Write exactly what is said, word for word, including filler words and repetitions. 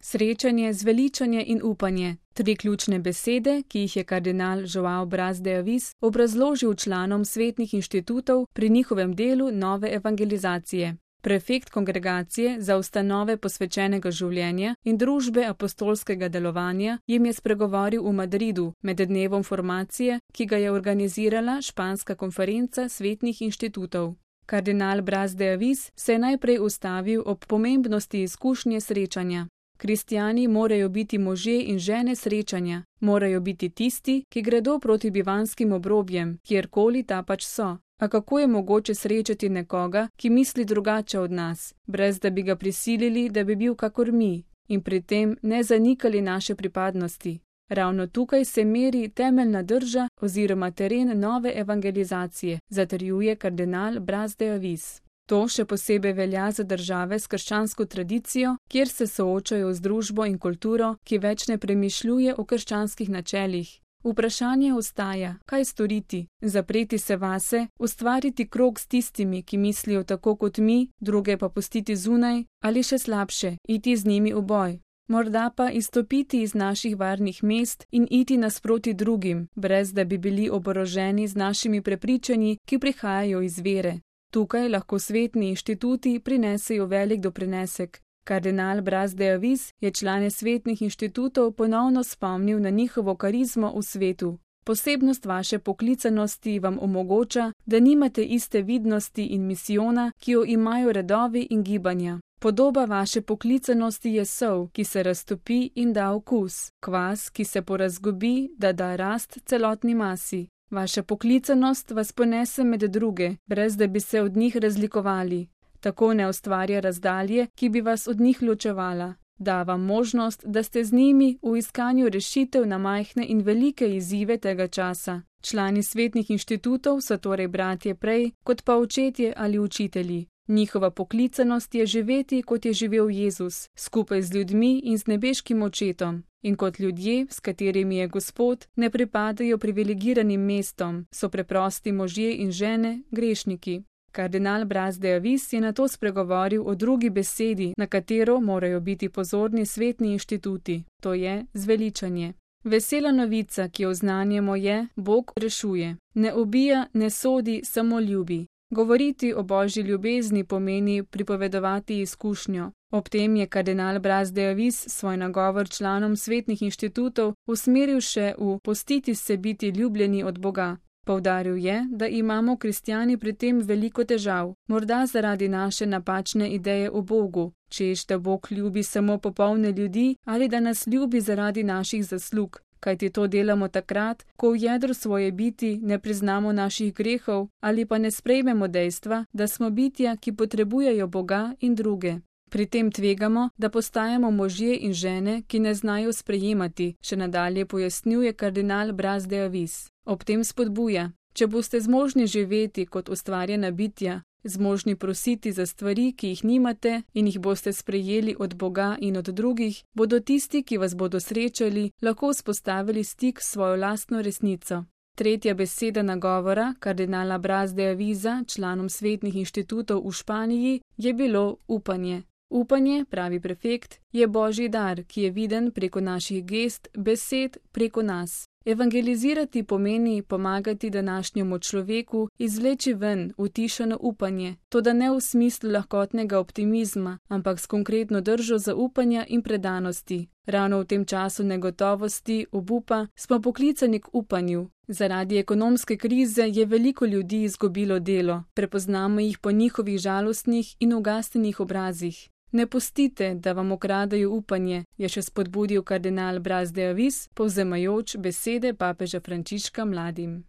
Srečanje, zveličanje in upanje. Tri ključne besede, ki jih je kardinal João Braz de Avis obrazložil članom svetnih inštitutov pri njihovem delu nove evangelizacije. Prefekt kongregacije za ustanove posvečenega življenja in družbe apostolskega delovanja jim je spregovoril v Madridu med dnevom formacije, ki ga je organizirala španska konferenca svetnih inštitutov. Kardinal Braz de Avis se je najprej ustavil ob pomembnosti izkušnje srečanja. Kristjani morajo biti možje in žene srečanja, morajo biti tisti, ki gredo proti bivanskim obrobjem, kjerkoli ta pač so. A kako je mogoče srečati nekoga, ki misli drugače od nas, brez da bi ga prisilili, da bi bil kakor mi, in pri tem ne zanikali naše pripadnosti? Ravno tukaj se meri temeljna drža oziroma teren nove evangelizacije, zatrjuje kardinal Braz de Avis. To še posebej velja za države s krščansko tradicijo, kjer se soočajo z družbo in kulturo, ki več ne premišljuje o krščanskih načelih. Vprašanje ostaja, kaj storiti, zapreti se vase, ustvariti krog s tistimi, ki mislijo tako kot mi, druge pa pustiti zunaj, ali še slabše, iti z njimi v boj. Morda pa izstopiti iz naših varnih mest in iti nasproti drugim, brez da bi bili oboroženi z našimi prepričanji, ki prihajajo iz vere. Tukaj lahko svetni inštituti prinesejo velik doprinesek. Kardinal Braz de Avis je člane svetnih inštitutov ponovno spomnil na njihovo karizmo v svetu. Posebnost vaše poklicanosti vam omogoča, da nimate iste vidnosti in misijona, ki jo imajo redovi in gibanja. Podoba vaše poklicanosti je sol, ki se raztopi in da okus, kvas, ki se porazgobi, da da rast celotni masi. Vaša poklicanost vas ponese med druge, brez da bi se od njih razlikovali. Tako ne ustvarja razdalje, ki bi vas od njih ločevala. Da vam možnost, da ste z njimi v iskanju rešitev na majhne in velike izzive tega časa. Člani svetnih inštitutov so torej bratje prej, kot pa očetje ali učitelji. Njihova poklicanost je živeti, kot je živel Jezus, skupaj z ljudmi in z nebeškim očetom. In kot ljudje, s katerimi je Gospod, ne pripadajo privilegiranim mestom, so preprosti možje in žene, grešniki. Kardinal Braz de Avis je nato spregovoril o drugi besedi, na katero morajo biti pozorni svetni inštituti, to je zveličanje. Vesela novica, ki jo oznanjamo, je: Bog rešuje. Ne ubija, ne sodi, samo ljubi. Govoriti o božji ljubezni pomeni pripovedovati izkušnjo. Ob tem je kardinal Braz de Avis svoj nagovor članom svetnih inštitutov usmeril še v pustiti se biti ljubljeni od Boga. Poudaril je, da imamo kristjani pri tem veliko težav, morda zaradi naše napačne ideje o Bogu, češ da Bog ljubi samo popolne ljudi ali da nas ljubi zaradi naših zaslug. Kajti to delamo takrat, ko v jedru svoje biti ne priznamo naših grehov ali pa ne sprejmemo dejstva, da smo bitja, ki potrebujejo Boga in druge. Pri tem tvegamo, da postajamo možje in žene, ki ne znajo sprejemati, še nadalje pojasnjuje kardinal Braz de Avis. Ob tem spodbuja: če boste zmožni živeti kot ustvarjena bitja, zmožni prositi za stvari, ki jih nimate in jih boste sprejeli od Boga in od drugih, bodo tisti, ki vas bodo srečali, lahko vzpostavili stik s svojo lastno resnico. Tretja beseda nagovora kardinala Braz de Avisa članom svetnih inštitutov v Španiji je bilo upanje. Upanje, pravi prefekt, je božji dar, ki je viden preko naših gest, besed, preko nas. Evangelizirati pomeni pomagati današnjemu človeku izvleči ven utišano upanje, toda ne v smislu lahkotnega optimizma, ampak s konkretno držo zaupanja in predanosti. Ravno v tem času negotovosti, obupa, smo poklicani k upanju. Zaradi ekonomske krize je veliko ljudi izgubilo delo, prepoznamo jih po njihovih žalostnih in ugasnjenih obrazih. Ne pustite, da vam ukradajo upanje, je še spodbudil kardinal Braz de Avis, povzemajoč besede papeža Frančiška mladim.